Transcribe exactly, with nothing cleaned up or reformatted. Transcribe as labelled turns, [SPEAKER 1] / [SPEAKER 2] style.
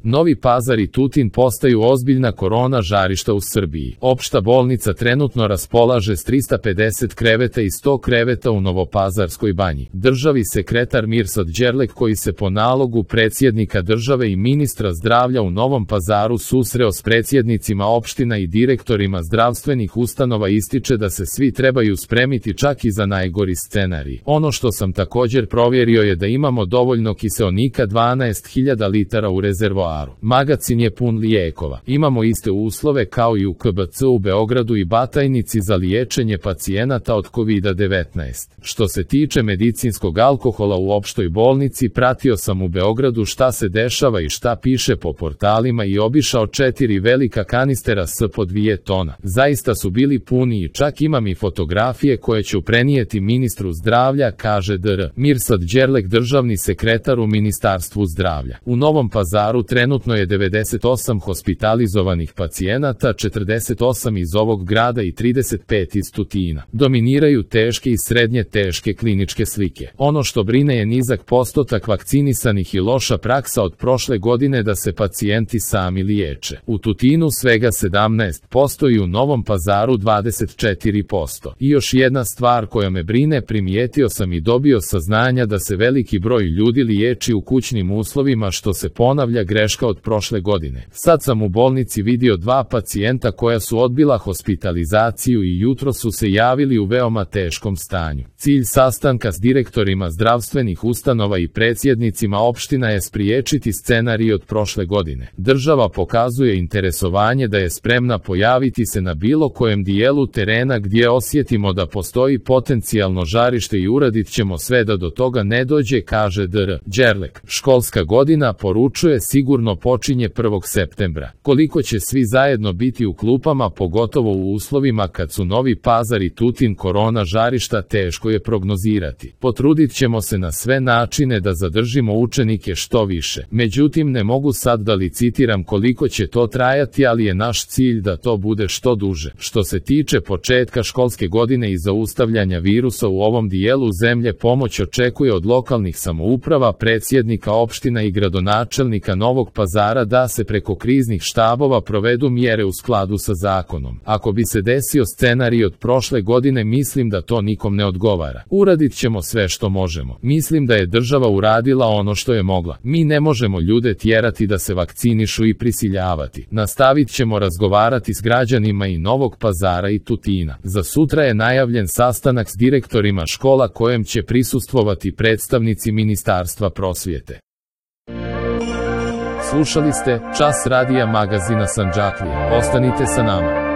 [SPEAKER 1] Novi Pazar i Tutin postaju ozbiljna korona žarišta u Srbiji. Opšta bolnica trenutno raspolaže s trista pedeset kreveta i sto kreveta u Novopazarskoj banji. Državni sekretar Mirsad Đerlek, koji se po nalogu predsjednika države i ministra zdravlja u Novom Pazaru susreo s predsjednicima opština i direktorima zdravstvenih ustanova, ističe da se svi trebaju spremiti čak i za najgori scenarij. Ono što sam također provjerio je da imamo dovoljno kiseonika, dvanaest hiljada litara u rezervoaru. Magacin je pun lijekova. Imamo iste uslove kao i u K B C u Beogradu i Batajnici za liječenje pacijenata od kovida devetnaest. Što se tiče medicinskog alkohola u opštoj bolnici, pratio sam u Beogradu šta se dešava i šta piše po portalima i obišao četiri velika kanistera s po dvije tona. Zaista su bili puni i čak imam i fotografije koje ću prenijeti ministru zdravlja, kaže dr. Mirsad Đerlek, državni sekretar u Ministarstvu zdravlja. U Novom Pazaru trenutno je devedeset osam hospitalizovanih pacijenata, četrdeset osam iz ovog grada i trideset pet iz Tutina. Dominiraju teške i srednje teške kliničke slike. Ono što brine je nizak postotak vakcinisanih i loša praksa od prošle godine da se pacijenti sami liječe. U Tutinu svega sedamnaest posto i u Novom Pazaru dvadeset četiri posto. I još jedna stvar koja me brine, primijetio sam i dobio saznanja da se veliki broj ljudi liječi u kućnim uslovima, što se ponavlja greška od prošle godine. Sad sam u bolnici vidio dva pacijenta koja su odbila hospitalizaciju i jutro su se javili u veoma teškom stanju. Cilj sastanka s direktorima zdravstvenih ustanova i predsjednicima opština je spriječiti scenarij od prošle godine. Država pokazuje interesovanje da je spremna pojaviti se na bilo kojem dijelu terena gdje osjetimo da postoji potencijalno žarište i uradit ćemo sve da do toga ne dođe, kaže dr. Đerlek. Školska godina, poručuje, sigurno počinje prvog septembra. Koliko će svi zajedno biti u klupama, pogotovo u uslovima kad su Novi Pazar i Tutin korona žarišta, teško je prognozirati. Potrudit ćemo se na sve načine da zadržimo učenike što više. Međutim, ne mogu sad da licitiram koliko će to trajati, ali je naš cilj da to bude što duže. Što se tiče početka školske godine i zaustavljanja virusa u ovom dijelu zemlje, pomoć očekuje od lokalnih samouprava, predsjednika opština i gradonačelnika Novog Pazara da se preko kriznih štabova provedu mjere u skladu sa zakonom. Ako bi se desio scenarij od prošle godine, mislim da to nikom ne odgovara. Uradit ćemo sve što možemo. Mislim da je država uradila ono što je mogla. Mi ne možemo ljude tjerati da se vakcinišu i prisiljavati. Nastavit ćemo razgovarati s građanima i Novog Pazara i Tutina. Za sutra je najavljen sastanak s direktorima škola kojem će prisustvovati predstavnici Ministarstva prosvjete. Slušali ste Čas radija magazina Sandžaklija. Ostanite sa nama.